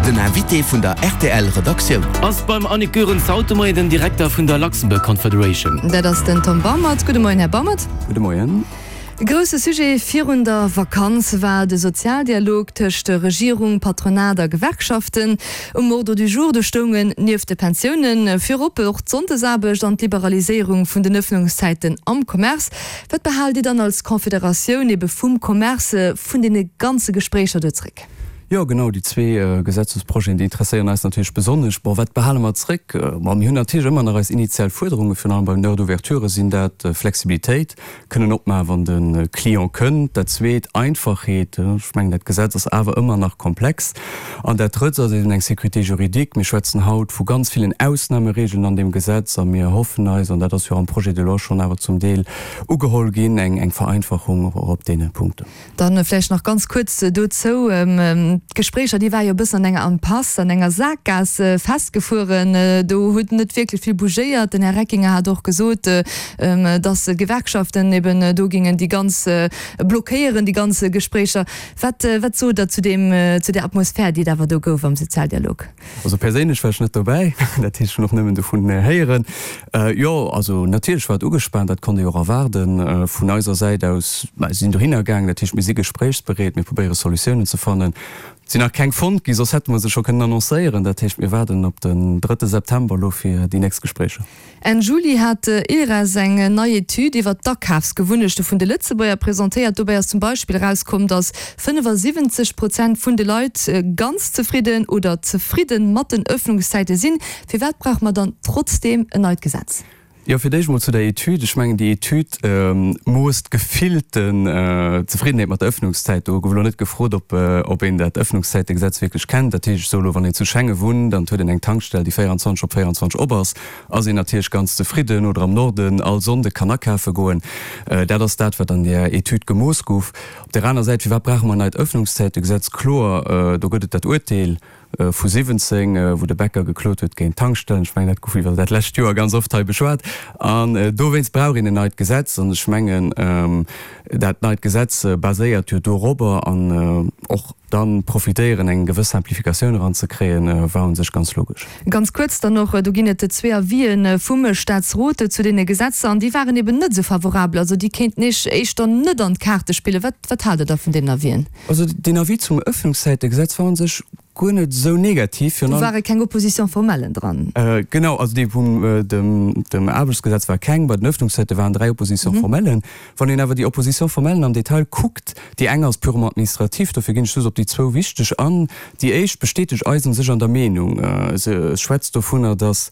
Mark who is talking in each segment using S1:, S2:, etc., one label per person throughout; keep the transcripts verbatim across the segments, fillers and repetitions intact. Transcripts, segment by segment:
S1: Den Invité vun der R T L Redaktioun.
S2: Ass beim Annick Goerens haut de Moien den Direkter vun der Luxembourg Confederation.
S3: Dat ass den Tom Baumert. Gudde Moien, Här Baumert.
S4: Gudde Moien.
S3: E grousse Sujet virun der Vakanz war de Sozialdialog tëscht Regierung, Patronat a Gewerkschaften. Um Ordre du jour do stoungen nieft de Pensiounen virop och d'Sonndesaarbecht an d'Liberaliséierung vun den Ëffnungszäiten am Commerce. Wat behaalt Dir dann als Confederatioun ebe vum Commerce vun deene ganze Gespréicher do zréck?
S4: Jo, genau, déi zwee Gesetzesprojeten, déi interesséieren eis natierlech besonnesch. Bon, wat behale mer zréck? Bon, mir hunn natierlech ëmmer nach eis initial Fuerderungen, virun allem bei den Heures d'ouverture sinn dat Flexibilitéit, kënnen opmaachen, wann de Client kënnt. Dat Zweet, Einfachheet, ech mengen, dat Gesetz ass awer ëmmer nach komplex. An dat Drëtt ass eben eng Sécurité juridique. Mir schwätzen haut vu ganz villen Ausnahmeregeln an deem Gesetz a mir hoffen eis, an dat ass jo am Projet de loi schonn awer zum Deel ugeholl ginn, eng eng Vereinfachung och op deene Punkten.
S3: Dann vläicht nach ganz kuerz dozou, D'Gespréicher, déi ware jo e bëssen an enger Impasse, an enger Sakgaass festgefueren. Do huet net wierklech vill bougéiert. Den Här Reckinger hat och gesot, datt d'Gewerkschaften eben do gingen déi ganz blockéieren, déi ganz Gespréicher. Wat, wat sot Der zu deem, zu där Atmosphär, déi et awer do gouf am Sozialdialog?
S4: Also perséinlech war ech net dobäi, dat heescht, ech hunn och nëmmen dovun héieren. Jo, also natierlech war et ugespaant, dat konnt ee jo och erwaarden. Vun eiser Säit aus, mer sinn dohinner gaangen, dat heescht, mir si gespréichsbereet, mir probéiere Solutiounen ze fannen. Et sinn nach keng fonnt gi, soss hätte mer se scho kënnen annoncéieren. Dat heescht, mir waarden op den drëtte September elo fir déi nächst Gespréicher.
S3: Enn Juli hat ILReS eng nei Etüd iwwer d'Akafsgewunnechte vun de Lëtzebuerger presentéiert. Dobäi ass zum Beispill erauskomm, datt fënnefasiwwenzeg Prozent vun de Leit ganz zefridden oder zefridde mat den Ëffnungszäite sinn. Firwat brauche mer dann trotzdeem en neit Gesetz?
S4: Jo, fir d'éischt mol zu der Etüd. Ech mengen, déi Etüd moosst d'gefillten Zefriddenheet mat der Ëffnungszäit. Do gouf elo net gefrot, ob ob een dat Ëffnungszäitegesetz wierklech kennt. Dat heescht, ech soe elo, wann een zu Schengen wunnt an et huet een eng Tankstell, déi véierundzwanzeg op véierundzwanzeg op ass, ass een natierlech ganz zefridden. Oder am Norden all Sonnde kann akafe goen. Dat ass dat, wat an där Etüd gemooss gouf. Op där aner Säit, firwat brauche mer en neit Ëffnungszäitegesetz? Kloer, do gëtt et dat Urteel vu siwwenzéng, wou de Bäcker geklot huet géint d'Tankstellen. Ech mengen, dat gouf iwwer dat lescht Joer ganz oft hei beschwat. An dowéinst brauch een en neit Gesetz. An ech mengen, dat neit Gesetz baséiert jo dorobber. An och dann profitéieren, eng gewëss Simplificatioun eranzekréien, war u sech ganz logesch.
S3: Ganz kuerz dann och, do ginn et zwee Avisen vum Staatsrot zu deene Gesetzer, an déi waren eben net esou favorabel. Also déi kéinten Iech éischter net an d'Kaarte spillen. Wat, wat haalt Der da vun deenen Avisen?
S4: Also deen Avis zum Ëffnungszäitegesetz war u sech guer net esou negativ.
S3: Do ware keng Opposition-formellen dran.
S4: Genau, also dee vum dem Aarbechtsgesetz war keng, bei den Ëffnungszäite waren dräi Opposition-formellen. Wann een awer déi Opposition-formellen am Detail kuckt, déi eng ass purement administratif, dofir ginn ech just op déi zwou wichteg an. Déi éischt bestätegt eis u sech an der Meenung. Se schwätzt dovunner, datt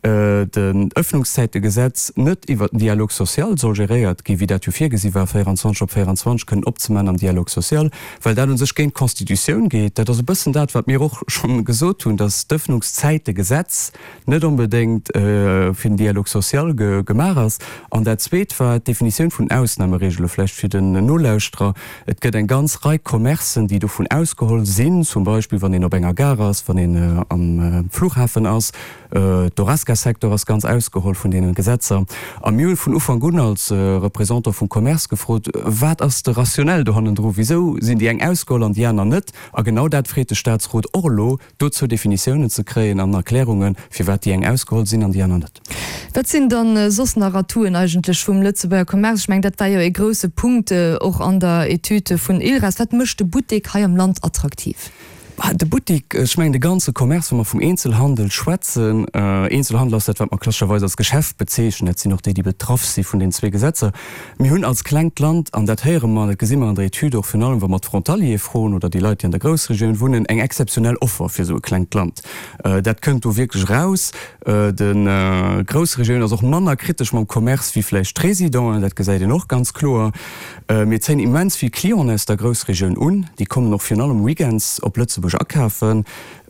S4: den Ëffnungszäitegesetz net iwwert den Dialogue social soll geréiert ginn, wéi dat jo virgesi war, véierundzwanzeg op véierundzwanzeg kënnen opzemaachen am Dialogue social, well dat u sech géint d'Constitutioun geet. Dat ass e bëssen dat, wat mir och schonn gesot hunn, datt d'Ëffnungszäitegesetz net onbedéngt fir den Dialogue social gemaach ass. An dat Zweet war d'Definitioun vun Ausnahmeregele, vläicht fir den Nolauschterer, Et gëtt eng ganz Rei Commercen, déi dovun ausgeholl sinn, zum Beispill wann een op enger Gare ass, wann een am Flughafen ass. D'Horesca-Secteur ass ganz ausgeholl vun deenen Gesetzer. A mir hu vun Ufank un als Représentant vum Commerce gefrot, Wat ass de Rationnel do hannendru? Wisou sinn déi eng ausgeholl an déi aner net? A genau dat freet de Statsrot och elo, dozou Definitiounen ze kréien an Erklärungen, firwat déi eng ausgeholl sinn an déi aner net.
S3: Wat sinn dann soss nach Atouen eigentlech vum Lëtzebuerger Commerce? Ech mengen, dat war jo ee grouse Punkt och an der Etüd vun ILReS. Wat mécht de Buttek hei am Land attraktiv?
S4: De Buttek, ech mengen de ganze Commerce, wa mer vum Eenzelhandel schwätzen, Eenzelhandel ass dat, wat mer klassescherweis als Geschäft bezeechnen, dat sinn och déi, déi betraff si vun deenen zwee Gesetzer. Mir hunn als klengt Land, an dat héiere mer an dat gesi mer an der Etüd och, virun allem wa mer d'Frontaliere froen oder déi Leit, déi an der Groussregioun wunnen, eng exzeptionell Offer fir esou e klengt Land. Dat kënnt do wierklech eraus. D'Groussregioun ass och manner kritesch mam Commerce wéi vläicht d'Résidenten, dat gesäit een och ganz kloer. Mir zéien immens vill Clienten aus der Groussregioun un. Déi kommen och virun allem weekends op Lëtzebuerg akafen.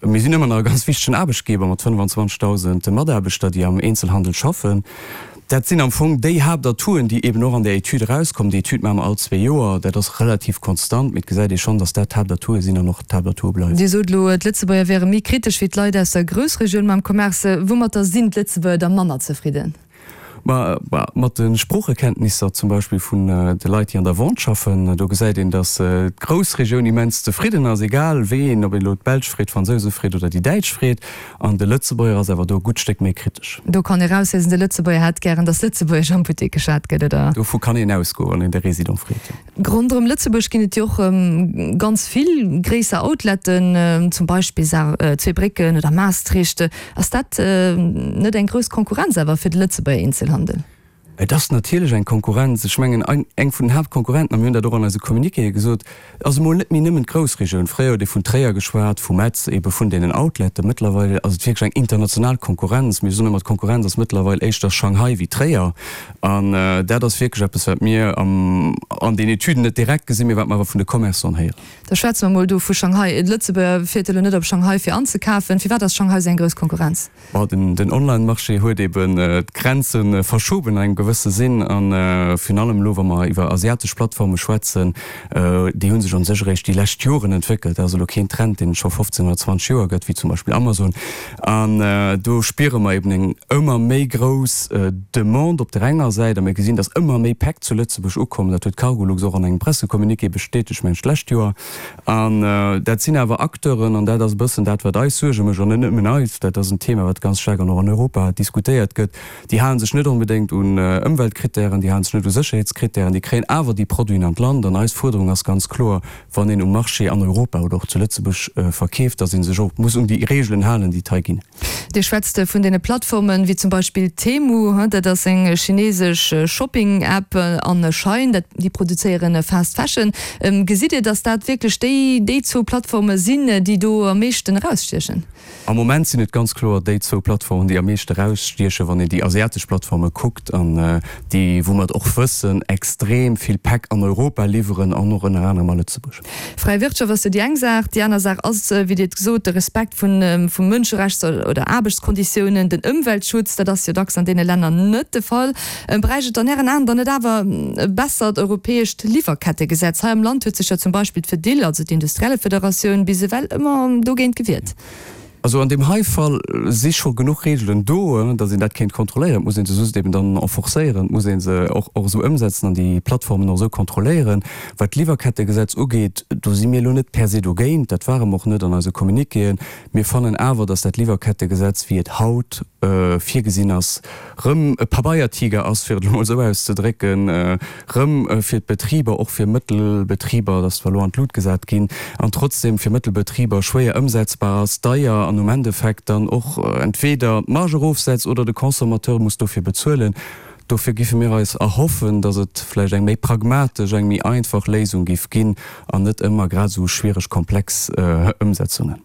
S4: Mir sinn ëmmer nach e ganz wichtegen Aarbechtgeber mat fënnefenzwanzegdausend Mataarbechter, déi am Eenzelhandel schaffen. Dat sinn am Fong déi Haaptatouen, déi eeben och an där Etüd erauskommen. Déi Etüd maache mer all zwee Joer. Dat ass relativ konstant, mee et gesäit ee schonn, datt dat d'Haaptatoue sinn an och d'Haaptatoue bleiwen.
S3: Dir sot elo, d'Lëtzebuerger wäre méi kritesch wéi d'Leit aus der Groussregioun mam Commerce. Woumatter sinn d'Lëtzebuerger da manner zefridden?
S4: Ma mat de Sproochekenntnisser zum Beispill vun de Leit, déi an der Vente schaffen, do gesäit een, datt d'Groussregioun immens zefridden ass, egal wéi een, ob een elo d'Belsch freet, d'Fransouse freet oder déi Däitsch freet. An de Lëtzebuerger ass awer do e gutt Stéck méi kritesch.
S3: Do kann ee rausliesen, de Lëtzebuerger hätt gären, datt Lëtzebuergesch am Buttek geschwat gëtt, oder?
S4: Dovu kann een ausgoen, wann een de Résident freet, jo.
S3: Ronderëm Lëtzebuerg ginn et jo och ganz vill gréisser Outletten, zum Beispill Zweebrécken oder Maastricht. Ass dat net eng grouss Konkurrenz awer fir de Lëtzebuerger Eenzelhandel?
S4: Et ass natierlech eng Konkurrenz. Ech mengen, eng vun den Haaptkonkurrenten, a mir hunn dat och an eise Communiquéë gesot, ass emol net méi nëmmen d'Groussregioun. Fréier huet ee vun Tréier geschwat, vu Metz, eebe vun deenen Outleten. Mëttlerweil ass et wierklech eng international Konkurrenz. Mir soen ëmmer, d'Konkurrenz ass mëttlerweil éischter Shanghai wéi Tréier. An dat ass wierklech eppes, wat mir an den Etüden net direkt gesinn, mee wat mer awer vun de Commerçanten héieren.
S3: Da schwätze mer mol do vu Shanghai. E Lëtzebuerger fiert elo net op Shanghai fir anzekafen. Firwat ass Shanghai esou eng grouss Konkurrenz?
S4: Bon, den Online-Marché huet eben d'Grenze verschoben an engem gewësse Sinn. A virun allem elo, wa mer iwwer asiatesch Plattforme schwätzen, déi hu sech u sech eréischt déi lescht Joren entwéckelt. Dat ass elo keen Trend, deen et scho fofzéng oder zwanzeg Joer gëtt, wéi zum Beispill Amazon. An do spiere mer eben eng ëmmer méi grouss Demande op där enger Säit. A mir gesinn, datt ëmmer méi Päck zu Lëtzebuerg ukommen. Dat huet d'Cargolux och an engem Pressecommuniqué bestätegt, mengen ech, d'lescht Joer. An dat sinn awer Acteuren, an dat ass e bëssen dat, wat eis Suerge mécht, an net nëmmen eis, dat ass en Thema, wat ganz staark an och an Europa diskutéiert gëtt, déi hale sech net onbedéngt un Ëmweltkrittären, déi hale sech net u Sécherheetskrittären, déi kréien awer déi Produiten an d'Land. An eis Fuerderung ass ganz kloer, wann een um Marché an Europa oder och zu Lëtzebuerg verkeeft, datt ee sech och muss un déi Reegelen halen, déi et hei ginn.
S3: Dir schwätzt vun deene Plattformen, wéi zum Beispill Temu, dat ass eng chinesesch Shopping-App, an Shein, dat déi produzéieren Fast Fashion. Gesitt Dir, datt dat wierklech déi déi zwou Plattforme sinn, déi do am meeschten erausstiechen?
S4: Am Moment sinn et ganz kloer déi zwou Plattformen, déi am meeschte erausstiechen, wann een déi asiatesch Plattforme kuckt an déi, wou mer et och wëssen, extrem vill Päck an Europa liwweren an och ënner anerem a Lëtzebuerg.
S3: Fräi Wirtschaft ass jo déi eng Saach. Déi aner Saach ass, wéi Dir et gesot, de Respekt vu Mënscherechts oder Aarbechtskonditiounen, den Ëmweltschutz. Dat ass jo dacks an deene Länner net de Fall. Bräicht et an Ären Aen dann net awer e bessert europäescht Liwwerkettegesetz? Hei am Land huet sech jo zum Beispill d'Fedil, also d'Industriellefederatioun, bis ewell ëmmer dogéint gewiert.
S4: Also an deem hei Fall si scho genuch Reegelen do, datt een dat kéint kontrolléieren. Et muss ee se just eben dann enforcéieren, et muss ee se och esou ëmsetzen an déi Plattformen och esou kontrolléieren. Wat d'Liwwerkettegesetz ugeet, do si mir elo net per se dogéint, dat ware mer och net an eise Communiquéen. Mir fannen awer, datt dat Liwwerkettegesetz, wéi et haut virgesinn ass, rëm e Pabeiertiger ass, fir et elo mol esou auszedrécken, rëm fir d'Betriber, och fir Mëttelbetriber, dat ass zwar elo an d'Lut gesat ginn, an trotzdem fir Mëttelbetriber schwéier ëmsetzbar ass, deier an um Endeffekt dann och entweder d'Marge erofsetzt oder de Consommateur muss dofir bezuelen. Dofir giffe mir eis erhoffen, datt et vläicht eng méi pragmatesch, eng méi einfach Léisung giff ginn an net ëmmer grad esou schwiereg komplex Ëmsetzungen.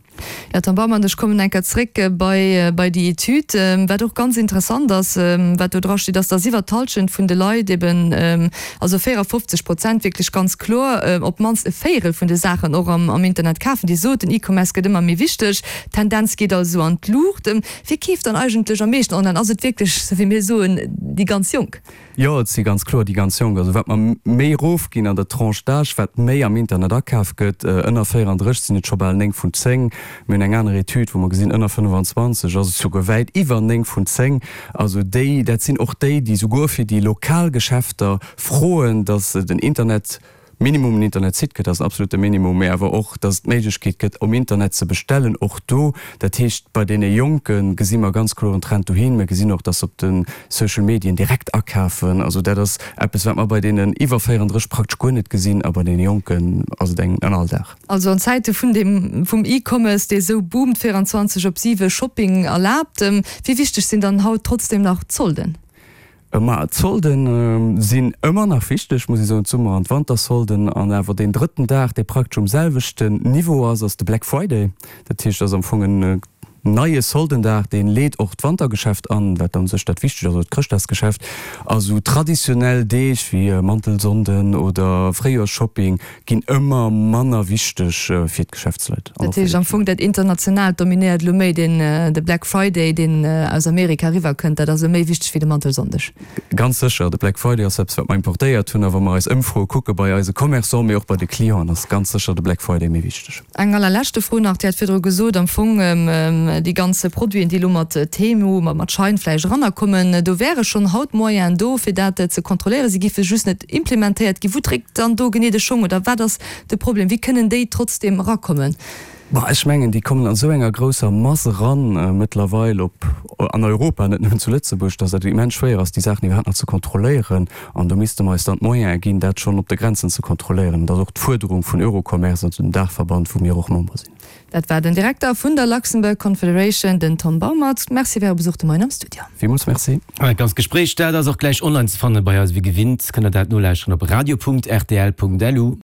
S3: Jo, Tom Baumann, ech kommen eng Kéier zréck bei bei déi Etüd. Wat och ganz interessant ass, wat do drasteet, ass, dass iwwert d'Hallschent vun de Leit eben, also véierafofzeg Prozent wierklech ganz kloer, op d'mannst e Véierel vun de Saachen och am am Internet kafen. Dir sot, den E-Commerce gëtt ëmmer méi wichteg, d'Tendenz geet also an d'Luucht. Wie keeft dann eigentlech am meeschten online? Ass et wierklech, sou wéi mir soen, déi ganz Jonk?
S4: Jo, et si ganz kloer déi ganz Jonk. Also wat mer méi erofginn an der Tranche d'âge, wat méi am Internet akaf gëtt. Ënner véierandrësseg sinn et scho bal néng vun zéng. Mir hunn eng aner Etüd, wou mer gesinn, ënner fënnefenzwanzeg ass et souguer wäit iwwer néng vun zéng. Also déi, dat sinn och déi, déi souguer fir déi lokal Geschäfter froen, datt den Internet, Minimum en Internetsite gëtt, dat ass en absolute Minimum, mä awer och, dass et d'Méiglechkeet gëtt, um Internet ze bestellen, och do. Dat heescht, bei deene Jonke gesi mer ganz kloer en Trend dohin. Mir gesinn och, dass se op de Social Medien direkt akafen. Also dat ass eppes, wat mer bei deenen iwwer véierandrësseg praktesch guer net gesinn a bei deene Jonken ass et eng en Alldag.
S3: Also an Zäite vun dem vum E-Commerce, dee sou boomt, véierundzwanzeg op siwe Shopping erlaabt, wéi wichteg sinn dann haut trotzdem nach d'Solden?
S4: Ma d'Solde sinn ëmmer nach wichteg, muss ee soen, d'Summer an d'Wantersolden. An awer deen drëtten Dag, dee praktesch um selwechten Niveau ass, ass de Black Friday. Dat heescht, ass am Fong en neie Soldendag, dee leet och d'Wantergeschäft an, wat u sech dat Wichtegt ass, oder d'Chrëschtdagsgeschäft. A sou traditionell Deeg wéi Mantelsonnden oder Fréijoersshopping ginn ëmmer manner wichteg fir d'Geschäftsleit.
S3: Dat heescht am Fong dat Internationaalt dominéiert elo méi, deen de Black Friday, deen aus Amerika eriwwer kënnt, dat ass elo méi wichteg wéi de Mantelsonndeg.
S4: Ganz sécher, de Black Friday ass eppes wat mer importéiert hunn a wa mer eis Ëmfroe kucke bei eise Commerçants, mee och bei de Clienten, ass ganz sécher de Black Friday méi wichteg.
S3: Eng allerleschte Fro nach, Dir hat virdru gesot, am Fong déi ganz Produiten, déi elo mat Temu, mat Shein vläicht erannerkommen, do wäre schonn haut Moyenen do, fir dat ze kontrolléieren, se géife just net implementéiert ginn. Wou dréckt dann do genee de Schong oder wat ass de Problem? Wéi kënnen déi trotzdeem erakommen?
S4: Bah, ech mengen, déi kommen an esou enger grousser Mass eran mëttlerweil op, an Europa, net nëmmen zu Lëtzebuerg, dass dat immens schwéier ass, déi Saachen iwwerhaapt nach ze kontrolléieren. An do misste mer eis dann d'Moyene ginn, dat schonn op de Grenzen ze kontrolléieren. Dat ass och d'Fuerderung vun Eurocommerce, also dem Daachverband, wou mir och Member sinn.
S3: Dat war den Direkter vun der Luxembourg Confederation, den Tom Baumert. Merci fir Äre Besuch de Moien am Studio.
S4: Villmools Merci.
S2: An dat ganzt Gespréich, dat ass och gläich online ze fanne bei eis. Wéi gewinnt kënnt der dat nolauschteren op radio.rtl.lu.